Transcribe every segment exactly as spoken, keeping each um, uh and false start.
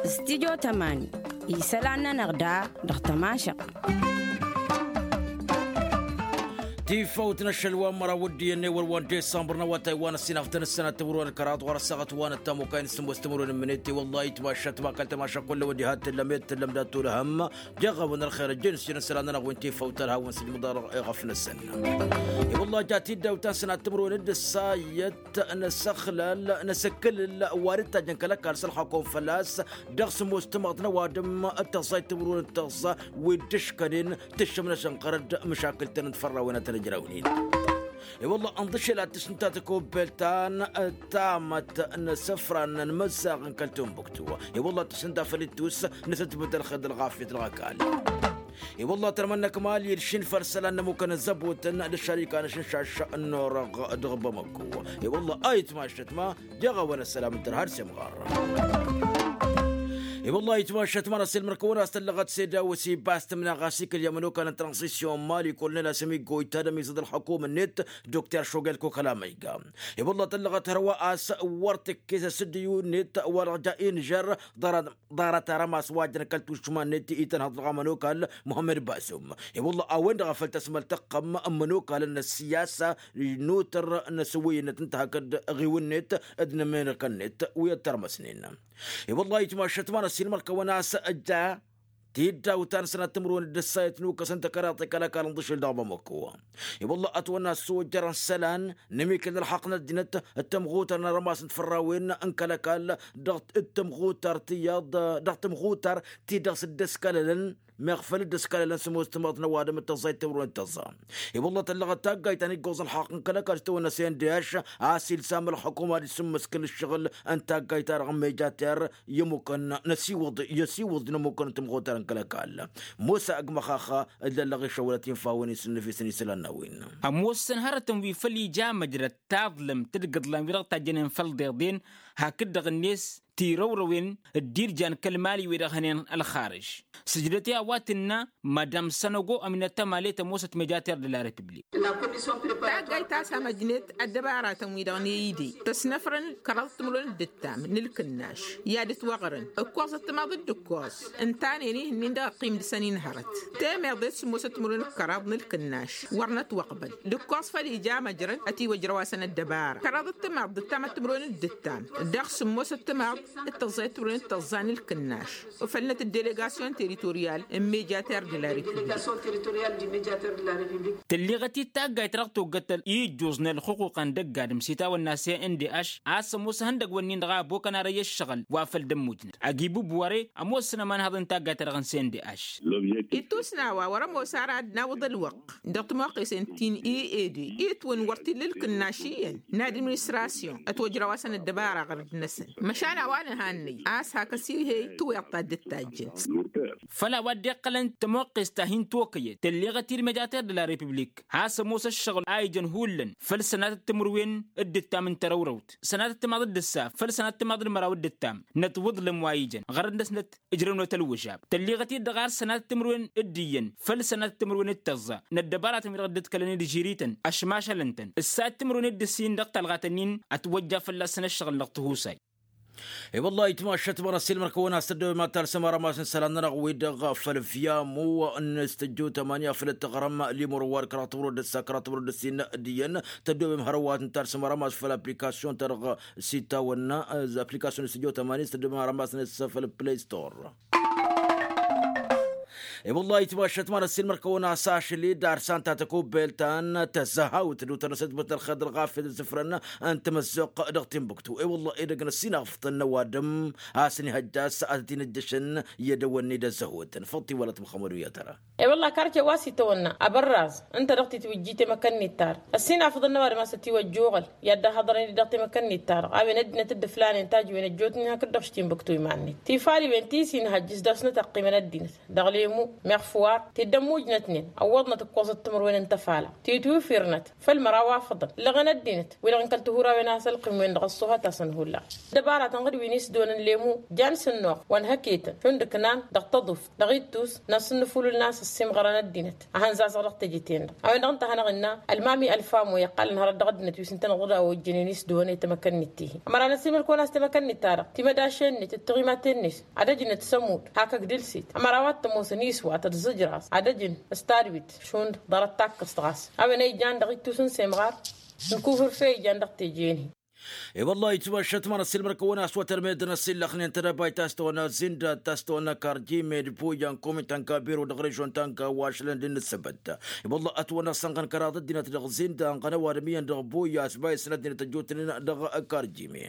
Studyo tămani isălan-nănăɣ da dăɣ-tămašăɣt. Tifawt n-ašăl wa n-măraw d-iyyăn ewăr wa n-disămbăr n-awătay wa n-ăssinafdăn ǝssan ad-tǝmrǝwăn kăraḍ ɣur-ăssaɣăt wa n-ăttamukay n-sǝmmos tǝmrǝwăn n-minit i-wălla-i tmašat ma kăl-tamaša kull ăwăd iha t-tǝllăm i-t-tǝllăm dat-tulhăm. Jeɣ-awăn ălxer ăjjeen s-jăn isălan-nănăɣ wi n-tifawt ălhawăn s-ijmǝḍarăɣ i-ɣăf-năsăn. I-wălla-i ja tiddaw ta n-sănat tǝmrǝwăn d-ǝssa i-t năsăxlal năsǝkkǝlǝl wa d-ǝttajjăn kăl-ăkall s-ălxakom fălla-s dăɣ-sǝmmos tǝmăḍt n-ăwadǝm d-tăẓẓayt tǝmrǝwăn d-tăẓẓa wi dd-ǝškănen tǝššǝm-năsăn ɣărăt d-măšakǝl-tăn d-fărrawen ad-tăn-ǝjrawnen. I-wălla ănḍǝšel ad-tǝsnǝt ta tăkobbelt ta n-tamăt n-isǝfran n-imǝzzaɣ n-kăl-timbuktu. I-wălla tǝsnǝt ta făll-ittus nǝsǝtbǝt ălxer d-ălɣafyăt dăɣ-ăkall. I-wălla tărmănna kămal i-dd-šin făll-isălan n-ămmukăn ăzzăbotăn d-ăššarika n-ašǝnšaš n-orăɣ dăɣ-bamăkko. I-wălla a itmašăt ma jeɣ-awăn ăssălam n-tărha d-semɣar. I-wălla a itmašăt ma n-ăssiilmăr-kăwăn a-s tăllăɣăt s-eda wăsiba s-tǝmna ɣas ikǝl i-ămănokal n-transisyon mali kolonel asămiggo itadăm izăḍ ălxăkum-net. Dokter šogel kokăla ma iga i-wălla tăllăɣăt hărwa a-s wăr tǝkkes asǝddiyu-net wa dăɣ-ja inžăr ḍarăt arămas wa jăn kăl-tušma-net itănhăḍ dăɣ-amănokal muhămmăd basum. I-wălla a-wen-dăɣ a făl tăsmăl tăqqăm ămmănokalăn n-ăssiyasa n-utăr n-asǝwǝyăn n-tǝnta hakd ɣiwǝn-net d-inǝmǝnǝkăn-net wi ăttărmăsnen. I-wălla itmašăt ma n-ăssiilmăr-kăwăn a-s ăjja tiddaw ta n-sănat timǝrwen d-ǝssayăt n-ukăsăn tăkăraḍt i-kăl-ăkall ǝnḍǝšǝl dăɣ-bamăkko. I-wălla ătwănna ăssojărăn isălan n-amikǝl n-ălxaqq n-ăddinăt d-tămɣutăr n-arămas n-tfărrawen n-kăl-ăkall dăɣ-tămɣutăr tiyyăḍ dăɣ-tămɣutăr ti dăɣ-s dd-ăskălălăn meɣ făl dd-ăskălălăn sămoos timăḍt n-ăwadǝm d-tăẓẓayt timǝrwen d-tăẓẓa. I-wălla tăllăɣăt taggayt ta n-iggoẓ ălxaqq n-kăl-ăkall s-tăwănna s-n d h a-s ilsam ălxukum ad-isǝmmǝskǝl ǝššăɣǝl n-taggayt-ta-dăɣ n-mejater i-ămmukăn n-ăsiwǝḍ i-ăsiwǝḍ n-ămmukăn n-tămɣutăr n-kăl-ăkall. Mosa ăgg măxaxa dd-ăllăɣ išăwălăt infawen isǝnnǝf-isăn isălan n-a-wen. Ămoosăn hărătăn wi făl ija măjrăd taḍlǝmt d-igǝḍlan wi dăɣ-tajjănen făll-iḍeḍen hakd-dăɣ-net tirăwrăwen d-irjan kăl-mali wi-dăɣ hănen ălxarǝž. Sǝjdăt i-a-wa tǝnna madam sănăgo ămnăt ămale tămoosăt mejater de la republik. Taggayt ta s-amăjnet ăddăbaratăn-wi-dăɣ n-e-ide tăsnăfrăn kăraḍăt timǝrwen d-ǝttam n-ǝlkǝnnaš i-ad-ǝtwăɣrǝn ǝkkoẓăt timaḍ d-ǝkkoẓ ǝntanen ihǝnnin dăɣ-ăqqim dăɣ-săn inhărăt. Temeḍe s-sǝmmosăt timǝrwen d-kăraḍ n-ǝlkǝnnaš wăr nătwăqbăl d-ǝkkoẓ făl ija măjrăd ătiwăjrăw-asăn ăddăbara kăraḍăt timaḍ d-ǝttamăt timǝrwen d-ǝttam dăɣ-sǝmmosăt timaḍ d-tăẓẓayăt timǝrwen d-tăẓẓa n-ǝlkǝnnaš. Ufălnăt ăddelegasyon teritoryal n-mejater de la republik. Tălleɣăt-dd taggayt dăɣ-toggăt ijjuẓ n-ălxuquqa n-dăgg-adǝm s-itawănna s-e n d h a-s ămoos ihăndăgg-wǝnnin-dăɣ a ăbokăn arăyy ăššăɣǝl wa făl dd-ămmujnăt ăgg-ibǝb wăr-e ămoosăn ămanhăḍ n-taggayt-ta-dăɣ n-s e n d h. Ittus n-a-wa wăr-ămoos ara ad-nawǝḍ ălwăqq dăɣ-timoqqesen ti n-e-ede itwǝn wăr t-illa ǝlkǝnnaš iyyăn n-administrasyon ătwăjrăw-asăn ăddăbara ɣărăt-năsăn. Măšan a-wa nǝhannăy a-s hak ăsihey tiweḍt-ta dd-tajjăn. Făl a-wa dd-iqqălăn tămoqqest ta hin-tokăyăt tălleɣăt-dd mejater de la republik has-ămoos ăššăɣǝl a ijăn hullan făll-sănatăt timǝrwen d-ǝttam n-tărăwrăwt sănatăt timaḍ d-ǝssa făll-sănatăt timaḍ d-măraw d-ǝttam n-ătwǝḍlǝm wa ijăn ɣărăt-năsnăt ǝjrăwnăt ălwǝžab. Tălleɣăt-dd dăɣ-ar sănatăt timǝrwen d-iyyăn făll-sănatăt timǝrwen d-tăẓẓa n-ăddăbaratăn wi-dăɣ dd-ǝḍkălăn d-žiri-tăn ăšmašălăn-tăn ǝssa timǝrwen d-ǝssin dăɣ-talɣat-ǝnnin ătwăjja fălla-săn ăššăɣǝl dăɣ-tihusay. E-wăllah itmašat măra s-ilmăr-kăwăn a-s tăddoobem ad-talsăm arămas n-isălan-nănăɣ-wi-dăɣ făll-vyamu n-studyo tămani afăl dd-tăɣrăm limur wa d-kăraḍ timǝrwen d-ǝssa kăraḍ timǝrwen d-ǝssin d-iyyăn. Tăddoobem hărăwat n-talsăm arămas făll-aplikasyon-ta-dăɣ s-itawănna aplikasyon n-studyo tămani s-tăddoobem arămas n-ǝssa făll-play store. E-wăllah itmašat măra s-ilmăr-kăwăn a-s ašăl-i d-arsan ta tăkobbelt ta n-tăzăhawt d-utănăsăt băt ălxer d-ălɣafyăt d-sǝfrăn n-tamăzzuɣt dăɣ-timbuktu. E-wăllah edăgg n-ăssinafḍăn n-ăwadǝm a-s ănihăjja a-s ad-t-in-ǝjjăšăn i-ad-ăwănni d-ăzzăhotăn făḍt-i wălăt măxămăd u-yatăra. E-wăllah karce wa s-itawănna abărraz ǝnta dăɣ-titwǝjji temăkăn-net-ta-dăɣ ăssinafḍăn n-ăwadǝm a-s ătiwăjjoɣăl i-ad-dd-ăhhăḍărăn-dd dăɣ-temăkăn-net-ta-dăɣ a-wen ăddinăt dd-ǝflanen tajǝwen ăjjootnen hakd dăɣ-š timbuktu iman-net tifaliwen ti s-inhăjj s-dăɣ-snăt ăqqimăn ăddinăt dăɣ-le. Meɣ fǝwar tiddăm mujnătnen ăwwăḍnăt ǝkkoẓăt timǝrwen n-tăfala titwifirnăt făll-măraw afăḍăn ǝllăɣen ăddinăt wi-dăɣ n-kăl-tihurawen a-s ălqim-wen-dăɣ ăṣṣuhăt-asăn hullan. Ăddăbaratăn ɣǝd wi n-isdon n-lemu jan s-ǝnnuɣ wa n-hăketăn šund ǝknan dăɣ-tăḍuft dăɣ-ittus n-asǝnnǝfulǝl n-a-s ăssiimɣărăn ăddinăt. Ad-hăn-zazăɣ dăɣ-teje-ten-dăɣ a-wen-dăɣ ǝnta a hanăɣ-innă ălmami ălfamu iqqalăn hărăt dăɣ-ăddinăt wi s-ǝntăneḍ ɣǝd a ojjănen isdăwănăy tamăkănnit tihi. Ămăra n-ăsimălkăwăn a-s tamăkănnit-ta-dăɣ timădaše-net d-tiɣimaten-net ad-ăjnăt s-ămudd hak ăgdǝl-set ămăra a-wa t-ămoosăn iswat d-zǝjraẓ ad-ăjǝn s-tadwit šund ḍarăt takkăst ɣas a-wen a ijan dăɣ-ittus n-semɣar n-kufǝrfe ijan dăɣ-teje-en-hi. I-wălla-hi ǝtmašat ma-năssilmăr-kăwăn a-s wa tărmedăn ăsillăxnen tădăbayt ta s-tăwănna zinda ta s-tăwănna karjime d-boyan komitan kabiro dăɣ-režon ta n-kawašlăn d-inǝssăbăt. I-wălla-hi ătwănna sănɣăn kăraḍ ăddinăt dăɣ-zinda ănɣăn ăwadǝm iyyăn dăɣ-boya a-s bayǝsăn ăddinăt ăjjootnen dăɣ-karjime.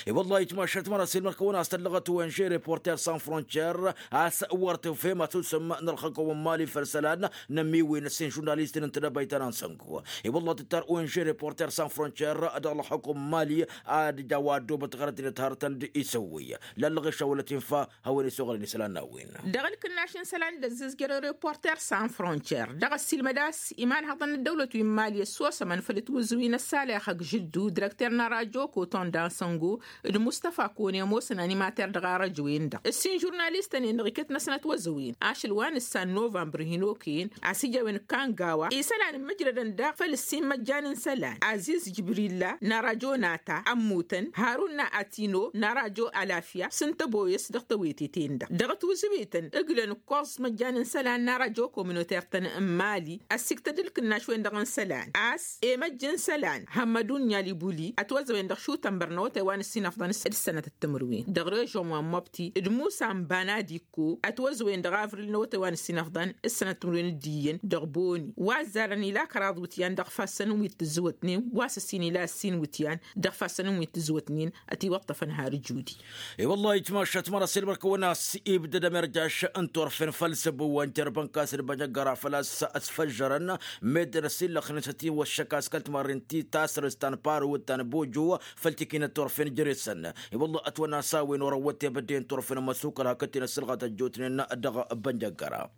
I-wălla-hi ǝtmašat ma-năssilmăr-kăwăn a-s tăllăɣăt wen žere porter san frontier a-s wăr tufhem asǝsǝm n-ălxăkom n-mali făll-isălan n-ămmiwen ăssin žurnalistăn n-tedăbayt ta n-ansăngo. I-wălla-hi tǝttar wen žere porter san frontier dăɣ-ălxăkom n-mali ad-ija wa ăddoobăt ɣărăt-net hărătăn d-isăwwăy lallăɣ išawălăt infa hawăn-isoɣălăn isălan n-a-wen. Dăɣ-ǝlkǝnnaš n-isălan d-ăzzizjărăn reporter san frontier dăɣ-ăssiilmăd a-s imanhăḍăn n-ăddăwlăt wi n-mali ăssosămăn făll-ătwǝzǝw-in ăssalăyăx ăgg žǝddu direkter n-arăjo koton d-ansăngo d-mustăfa kone ămoosăn animater dăɣ-arăjo-en-dăɣ ǝssin žurnalistăn-en-dăɣ iket-năsnăt wăzăwen ašăl wa nǝssan novămbăr hin-okăyăn a-s ija a-wen kangawa isălan ǝmmǝjrădăn daɣ făll-ǝssin măjjan n-isălan aziz jibrilla n-arăjo nata ămmutăn harun n-atino n-arăjo alafya s-ǝnta boyăs dăɣ-tawete-ten-dăɣ dăɣ-tiwǝzǝwităn ǝglăn ǝkkoẓ măjjan n-isălan n-arăjo kominoter-tăn n-mali ăssiktăd ǝlkǝnnaš-wen-dăɣ n-isălan a-s emăjj n-isălan hămmădun n-alibuli ătwăzăwen dăɣ-šutănbăr n-awătay wa n-ǝssinăfḍăn d-sănătăt timǝrwen dăɣ-režon wa n-măbti d-musa n-banadikko ătwăzăwen dăɣ-avril n-awătay wa n-ǝssinăfḍăn d-sănătăt timǝrwen d-iyyăn dăɣ-boni wa ăzzarăn ila kăraḍ iwǝtyan dăɣ-ifassăn n-wi t-tǝzzǝwătnen wa s-ǝssin ila ǝssin iwǝtyan dăɣ-ifassăn n-wi t-tǝzzǝwătnen ătiwăṭṭăfăn har judi. I-wălla-hi ǝjmašăt măra s-ilmăr-kăwăn a-s ibdădăm irjaš n-turfen făll-săbbu wa n-jărbăn kas d-bănjăggăra făl-a-s ăsfăžžărăn meddǝn ăsillăxnen s-ătiwăššăk a-s kăl-timarren ti tasrǝst ta n-paro ta n-bojo făll-tikinăt turfen jere-săn. I-wălla-hi ătwănna s-a-wen orăwwăt tebădde n-turfen ămăsukăl hakd-ten ăssǝlɣat ăjjootnen dăɣ-bănjăggăra.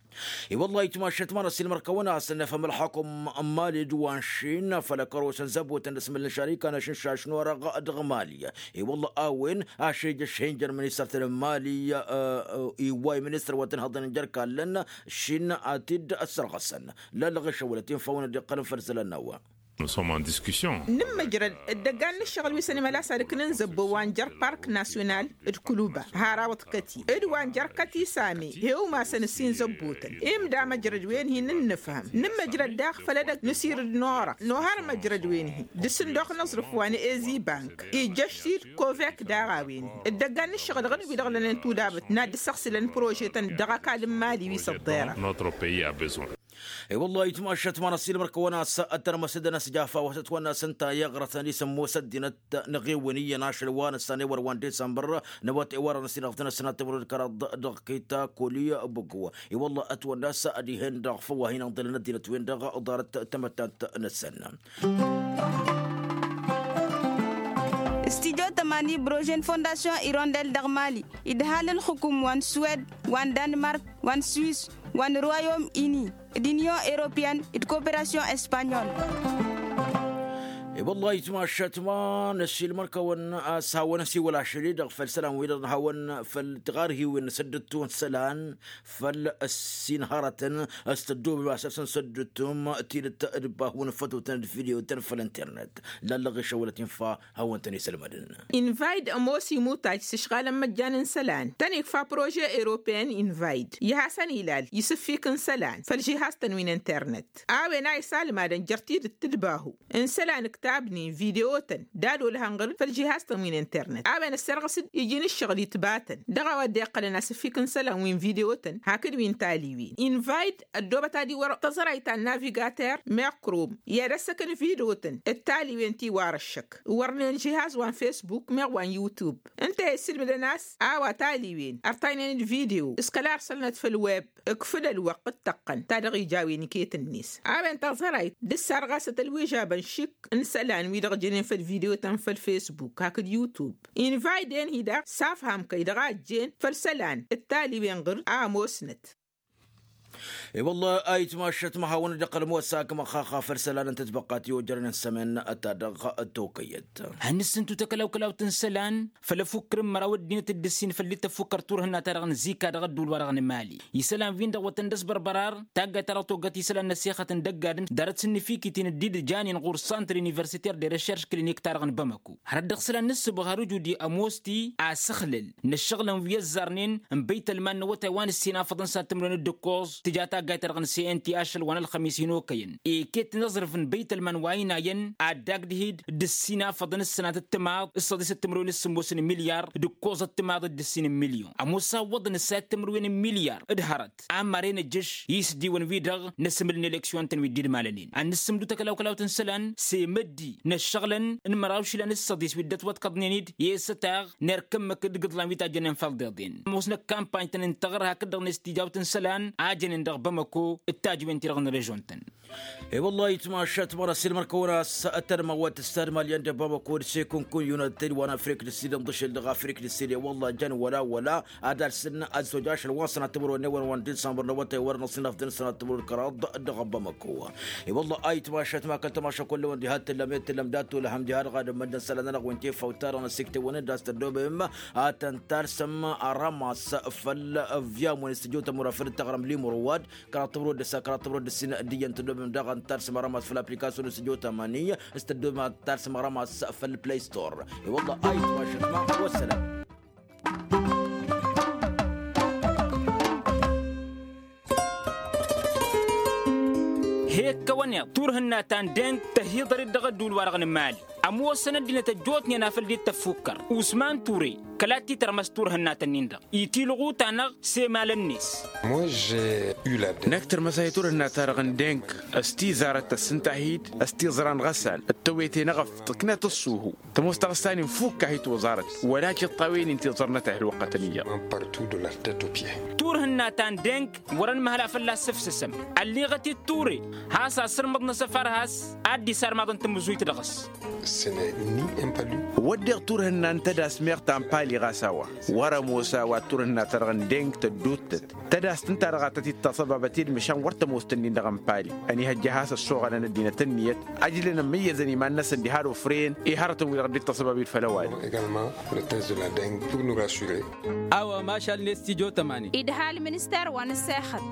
I-wălla-hi ǝjmašăt măra s-ilmăr-kăwăn a-s ănnăfhăm ălxukum n-mali d-wa n-šin făll-ăkăros n-zăbotăn d-asmǝl n-šarika n-ašǝnšaš n-orăɣ dăɣ-mali. I-wălla-hi a-wen ašejăš hin-jăr ministăr-tăn n-mali iwway ministăr wa tăn-hăḍăn n-jer-kallăn šin ad-t-dd-ăssărɣăsăn. Lallăɣ išăwălăt infa a-wen dd-iqqălăn făll-isălan n-a-wa. Nǝmmăjrăd dd-ăggan n-ǝššăɣǝl wi s-ănimăla s-ad-ǝknǝn zăbbo wa n-jer-park nasyonal d-kǝluba har a-wa t-kăti d-wa n-jer-kăti same he-umasăn ǝssin zăbbotăn. Imda măjrăd-wen-hi n-ǝnnǝfhăm nǝmmăjrăd daɣ făll-edăgg n-asirǝd n-orăɣ nohar măjrăd-wen-hi d-asǝndox n-aẓrǝf wa n-ezibank ijjăš-t-dd kovek daɣ a-wen-hi dd-ăggan n-ǝššăɣǝl ɣǝd-wi-dăɣ lănen tudabăt n-ad-dd-săɣsǝlăn prožetăn dăɣ-ăkall n-mali wi s-ăḍḍerăɣ. I-wălla-hi ǝjmašăt măra s-ilmăr-kăwăn a-s ăttărmăsădăn a-s jafa wa s-ătwănna s-ǝnta i-iɣrătăn isǝmmos ăddinăt n-eɣewăn iyyăn ašăl wa nǝssan ewăr wa n-disămbăr n-ewăr wa n-ăsinăɣtăn ăssinat timǝrwen d-kăraḍ dăɣ-kita koli băggo. I-wălla-hi ătwănna a-s ad-ih'-en dăɣ-făw a hin-ǝnḍǝlăn ăddinăt-wen-dăɣ ḍarăt tamăttant-năsăn. Studyo tămani brožen fondasyon irondel dăɣ-mali idhal ǝlxǝkum wa n-suwed wa n-danmark wa n-swis wa n-royom ini d-inyon europeyăn d-koperasyon espanyol. I-wălla-hi ǝjmašăt ma n-ăššilmăr-kăwăn a-s hawăn-ăsiwăl ašăl-i-dăɣ făll-isălan-wi-dăɣ n-hawăn făll-tiɣarhiwen n-săddǝttu n-isălan făll-ăssin hărătăn s-tăddoobem asăfsăn săddǝttum tidǝt d-bahun fătotăn d-vidiyotăn făll-internet. Lallăɣ išăwălăt infa hawăn-tăn-isălmădăn. Invayt ămoos imutaj s-ǝšɣalăn măjjan n-isălan tăn-ikfa prože europeyăn invayt i-hasăn-ilal isǝffik n-isălan făll-žihaz-tăn wi n-internet. A-wen a isalmadăn jer-tidǝt d-bahu n-isălan ǝktabnen vidiyotăn d-ad-olhăn ɣǝr-dd făll-žihaz-tăn wi n-internet a-wen ăssărɣǝs-dd iji n-ǝššăɣǝl itbatăn dăɣ-a-wa dd-iqqălăn asǝffik n-isălan wi n-vidiyotăn hakd wi n-taliwen. Invayt ăddoobăt ad-iwăr tăẓrayt ta n-navigater meɣ krom i-ad-ăssăkăn vidiyotăn d-taliwen ti warăššăk wărnen žihaz wa n-fesbuk meɣ wa n-yutub ǝnta a issǝlmǝdăn a-s a-wa taliwen ărtaynen d-vidiyo s-kăla ărsălnăt făll-web. Ǝkfǝd ălwăqq d-tăqqăn ta dăɣ-ija a-wen iket-net a-wen taẓărayt d-ǝssarɣasăt ălwižabăn šik n-isălan wi-dăɣ jănen făll-vidiyotăn făll-fesbuk hakd yutub. Invayden-hi daɣ s-afham kăy-dăɣ a ǝjjen făll-isălan d-taliwen ɣǝr a ămoosnăt. I-wălla a itmašăt măhawăn-dd-iqqăl ămoos akmăɣ xaxa făll-isălan n-tătbăqqat i-ojărăn n-sămăn-ta-dăɣ tokăyăt. Hannăsǝntu tăkălawkălawt n-isălan făll-ăfukkăr n-măraw ăddinăt d-ǝssin făll-dd-tăffukkăr turhǝnna-ta-dăɣ n-zika dăɣ-ădduul-wa-dăɣ n-mali isălan-win-dăɣ wătăn-dd-ăsbărbărar taggayt-ta-dăɣ togăt isălan n-ăssixăt n-dăgg-adǝm ḍarăt s-ǝnnǝfikit-in dd-jănen ɣur-santr universiter de recherš klinik-ta-dăɣ n-bamăko hărăt dăɣ-isălan n-ǝssǝbɣar ǝjudi ămoos-t-i asăxlăl n-ăššăɣǝlăn wi ăzzarnen n-băytălman n-awătay wa n-ǝssin afăḍăn s-ad-tǝmrǝwen d-ǝkkoẓ tǝja taggayt-ta-dăɣ n-cnt ašăl wa n-ălxămis hin-okăyăn iket n-aẓrǝf n-băytălman wa ăynayăn ad-dd-agdǝhid d-ǝssin afăḍăn s-sănatăt timaḍ s-săḍisăt timrǝwen s-sǝmmos n-milyar d-ǝkkoẓăt timaḍ d-ǝssin n-milyon ămoos a ǝwwăḍăn ǝssayăt timrǝwen n-milyar d-hărăt ammar enăjjăš i-isdiwăn-wi-dăɣ n-asǝmǝl n-eleksyon-tăn wi dd-idmalănen ad-nǝssǝmdǝw takălawkălawt n-isălan s-emăddi n-ăššăɣǝlăn n-măraw išilan s-săḍis wi dd-ătwăḍkăḍnen-dd i-esătaɣ n-erk ǝmmǝk d-igǝḍlan wi tajjănen făll-deḍen ămoosnăt kampany-tăn ǝntăɣăr hakd-dăɣ-net tijawt n-isălan a jănen dăɣ-bamăko d-tajǝwen-ti-dăɣ n-režon-tăn. E-wăllah itmašat măra s-ilmăr-kăwăn a-s ăttănmăwăt s-tadmalyan d-bamăko d-sekunkun yunăt-dd wa n-afrik d-sidăn ḍǝšel dăɣ-afrik d-sidăn e-wăllah jăn wăla wăla ad-alsǝn ăzzoj ašăl wa n-sănat timǝrwen n-ewăn wa n-disambăr n-awătay wăren ăṣṣinaf d-sănat timǝrwen kăraḍ dăɣ-bamăko. E-wăllah a itmašat ma kăl-tamaša kull-ewăn diha t-tǝllăm e-t-tǝllăm dat-olăhăm diha dăɣ-ad-ǝmmǝdăn isălan-nănăɣ wi n-tefawt-ta-dăɣ n-ăssiktewăn-dd a-s tăddobem ad-tăn-talsăm rămas făll-ăvvyam wi n-s tijot ămura făll-tăɣrăm limurwad kăraḍ tămrod d-ǝssa kăraḍ tămrod d-ǝssin d-iyyăn tăddobem daɣ ad-tăn-talsăm rămas făll-application n-s tijot ămani s-tăddobem ad-tăn-talsăm rămas făll-play store. E-wăllah a itmašat ma wăssălam. He-ǝkkăwăn iḍ turhǝnna ta n-deng tăhiḍăr-dd dăɣ-ădduul-wa-dăɣ n-mali ămoosăn ăddinăt ăjjootnen a făl dd-tăffukkăr usman ture kăla t-tărmăs turhǝnna-tăn-in-dăɣ itilɣu-ta-năɣ s-emalăn-net. Năkk tărmăs-ahi turhǝnna-ta-dăɣ n-deng s-tizarăt tăssǝnta-hi-dd s-tiẓra n-ɣăsal d-tăwete n-eɣăft tǝknăt ăṣṣuhu tămoos taɣǝsta-nin fukk-ahi toẓarăt wăla tiṭṭawen-in tiẓărnăt a hi-ălwăqqătăn iyyăḍ. Turhǝnna ta n-deng wăr-ănmăhăl a fălla-s sǝfsǝsăm ălliɣăt-dd ture has-asǝrmǝḍ n-asăfar has-ad-dd-isar maḍăn tǝmmǝzuyt dăɣ-s. Wădden turhǝnna n-tădas meɣ ta n-pali ɣas a-wa wăr-ămoos a-wa d-turhǝnna-ta-dăɣ n-deng tădduuttăt tădas tǝnta-dăɣ a tăt-dd-tasăbabăt i-dd măšan wăr tămoos tǝnnin dăɣ-n pali ănihăjja a has-ăssoɣănăn ăddinăt ǝnniyăt ăjlăn ămmăyyăzăn iman-năsăn diha d-ofren i-hărătăn wi-dăɣ dd-tasăbab i-dd făll-ăwadǝm. A-wa mašal-net tijo tămani. Idhal minister wa n-ăssexăt.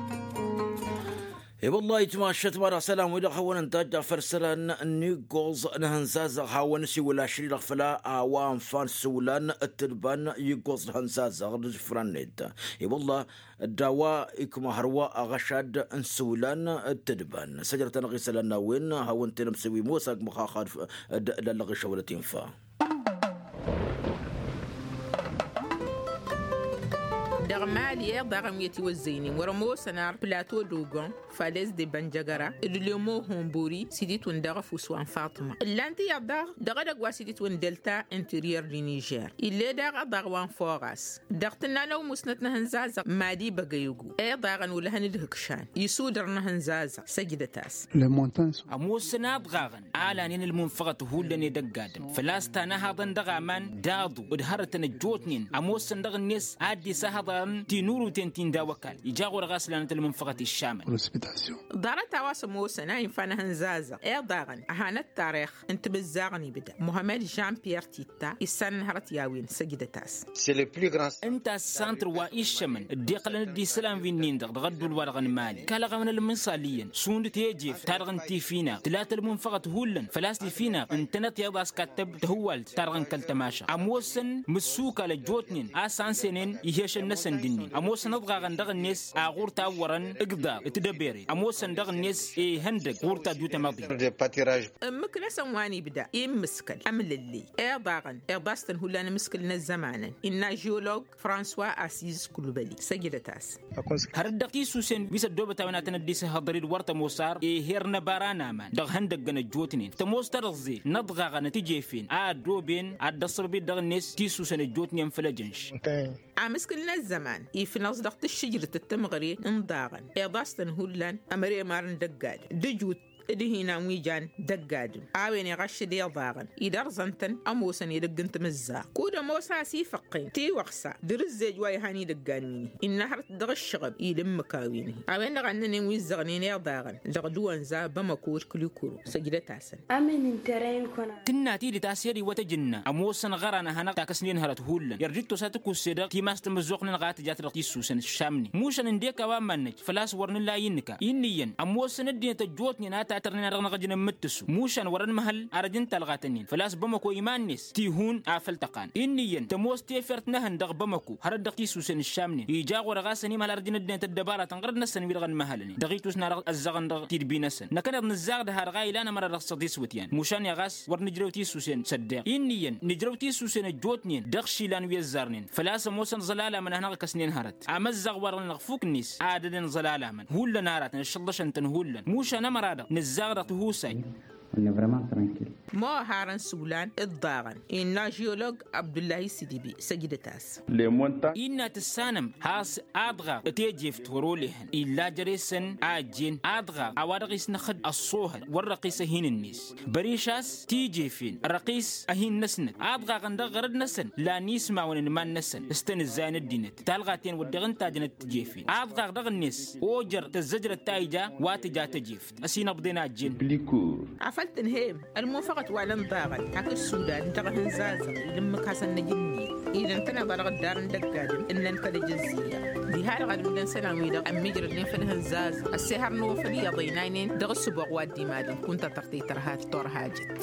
E-wăllah itmašăt ma dăɣ-isălan-wi-dăɣ hawăn-ăntajj afăl isălan n-iggoẓ n-ihănzazăɣ hawăn-ăsiwǝl ašri-dăɣ făll-a-wa ănfa n-isǝwlan d-tǝdban iggoẓ d-ihănzazăɣ d-isǝfran-net. E-wăllah dd-a-wa ikma hărwa aɣăšad n-isǝwlan d-tǝdban săjdăt-anăɣ isălan n-a-wen hawăn-t-in-ămsǝw imoos akmăɣ xaxad d-lallăɣ išăwlăt infa. Dăɣ-mali iḍaɣăn wi ătiwăzzăynen wăr-ămoosăn ar plato dogon falez de bănjăgăra d-lemo hombori s-ititwǝn dăɣ-ăfuss wa n-faṭma ǝllan-t iyyăḍ daɣ dăɣ-edăgg wa s-ititwǝn delta interior di nižer ill'-e daɣ ăḍaɣ wa n-foras dăɣ-tǝnna n-ăwmusnăt n-ehăn zazăɣ mali băgăyăgu iḍaɣăn olăhăn d-hǝkšan isudăr n-ehăn zazăɣ săjdăt-as. Ămoosăn aḍɣaɣăn a lanen ălmunfăɣăt hullan edăgg-adǝm făl-a-s tanăhaḍăn dăɣ-aman d-aḍu d-hărătăn ăjjootnen ămoosăn dăɣ-net ad-dd-isahăḍarăn tinuruten ti n-daw-ăkall ija ɣur-e ɣas lanăt ălmunfăɣăt iššamăn. Ḍarăt a-wa s-ămoosăn a infa n-ehăn zazăɣ iḍaɣăn a hanăt-tarix n-timǝzzaɣăn ibda muhămmed jean pierre titta issan n-hărăt i-a-wen săjdăt-as. Ǝnta ăssantăr wa iššămăn dd-iqqălăn dd-isălan wi-nin-dăɣ dăɣ-ădduul wa dăɣ-nǝmali kalăɣ-awăn ălmǝnṣal iyyăn šund tejeft ta dăɣ-n tifinăɣ tǝlat ălmunfăɣăt hullan făl-a-s tifinăɣ ǝntănăt iḍas kattăb tăhǝwalt ta dăɣ-n kăl-tămaša ămoosăn mǝssukal ăjjootnen a-s ansenen ihešăn-năsăn d-ǝnnin ămoosăn ăḍɣaɣăn dăɣ-net a ɣur-tawwărăn ǝgḍaḍ d-tedăbere ămoosăn dăɣ-net ihăndăg ɣur-tadut ămăḍi. Ǝmmǝk-năsăn wa n-ibda immǝskăl ămlălley iḍaɣăn iḍas-tăn hullan amǝskǝl n-ăzzămanăn innă žeolog françois assiz kulbăli săjdăt-as. Hărăt dăɣ-tisusen wi s-ăddoobăt a-wen ad-tăn-dd-isǝhhăḍăr-dd wăr tămoos ar eher n-ăbara n-aman dăɣ-ihăndăggăn ăjjootnen tămoos-ta dăɣ-ẓel n-ăḍɣaɣăn ătijefin a ăddooben ad-dd-ăṣṣăbăb-dd dăɣ-net tisusen ăjjootnen făll-ejănš. Amǝskǝl n-ăzzăman ifnăẓ dăɣ-tǝššǝjrǝt d-tămɣăre n-daɣăn iḍas-tăn hullan ămăre imar n-dăgg-ad d-ǝjut D-ihinan wi jan dăgg-adǝm a-wen iɣaššăd iḍaɣăn idărẓăn-tăn ămoosăn edăgg n-timǝzzaɣt kud-ămoos a-s ifăqqen tiwăɣsa dăr-ǝzzej wa ihan idăggan wi-nihi innă hărăt dăɣ-ǝššăɣăb ila ǝmmǝk a-wen-hi. A-wen-dăɣ a ǝnnănen wi ǝzzăɣnen iḍaɣăn dăɣ-dăwănza bamăko d-kǝlikuro săjdăt-asăn. Tǝnna tidǝt a-s i-ad-iwwăt ăjǝnna ămoosăn ɣăran ad-hanăɣ-takăsnen hărăt hullan irjǝttos a tǝkusse dăɣ-timas tamǝzzuɣt-nănăɣ a tǝjat dăɣ-tissusen ǝššamnen mušan ǝndek a-wa mannăj făl-a-s wăr nǝla innǝka. Inn'-iyyăn ămoosăn ăddinăt ăjjootnen a tatărnen a dăɣ-năɣ ăjǝn ǝmmǝttǝsu mušan wăr-ănmăhăl ar ăj n-talɣa-tăn-in făl-a-s bamăko iman-net tihun a făl tăqan. Inn'-iyyăn tămoos tefert n-ehăn dăɣ-bamăko hărăt dăɣ-tissusen ǝššamnen ija ɣur-e ɣas ănimăhăl ar ăj n-ăddinăt ăddăbaratăn ɣărăt-năsăn wi-dăɣ ănmăhălnen dăɣ-itus n-ad-ăzzăɣăn dăɣ-tidbi-năsăn. Năkkăneḍ nǝzzaɣ dăɣ-ha-dăɣ a ilan ămăra dăɣ-săḍiswǝtyan mušan i-ɣas wăr nǝjrew tisusen s-ăddeɣ. Inn'-iyyăn nǝjrew tisusen ăjjootnen dăɣ-išilan wi ăzzarnen făl-a-s ămoosăn ẓălalamăn ad-hanăɣ-ăkăsnen hărăt. Amăzzaɣ wa-dăɣ-nănăɣ fuk-net a ădădăn ẓălalamăn hullan aratăn ǝššălḍăšăn-tăn hullan mušan ămăra dăɣ-nǝzzaɣ dăɣ-tihusay. N-vrăman trankil. Moharăn sulan ǝḍḍaɣăn innă žiyolog abdullahi sidibi săjdăt-as. Innă tǝssanăm has-aḍɣaɣ tejeft wăr-olehăn illa jere-săn a ăjjeen aḍɣaɣ a-wa dăɣ-isnăxăd ăṣṣohăd wăr răqqis ăhin-net. Băriš a-s tijefen răqqis ăhin-năsnăt aḍɣaɣăn dăɣ-ɣărăd-năsăn lan ismawăn n-iman-năsăn s-tăn-ǝzzayăn ăddinăt talɣa-ten wădden ǝnta jănăt tijefen aḍɣaɣ dăɣ-net ojăr tăzzăjrăt ta ija wa tǝja tejeft. Ăsinăbḍen a ăjjeen. Afăl tǝnhăyăm ălmunfăɣăt wa lăn daɣăn hak ǝssudan dăɣ-ehăn zazăɣ ila ǝmmǝk hasăn-năj ǝnnin ila ǝntăneḍ a dăɣ-ăddarăn dăgg-adǝm ǝnnăn făll-ejăzzǝyya. Diha-dăɣ ad-ǝllăn isălan-wi-dăɣ ămmiijrădnen făll-ehăn zazăɣ ăssihăr n-uwăfăl iyyăḍ ăynaynen dăɣ-ǝssǝboɣ wa dd-imadăn kunta tărtăy tărha d-turhajăt.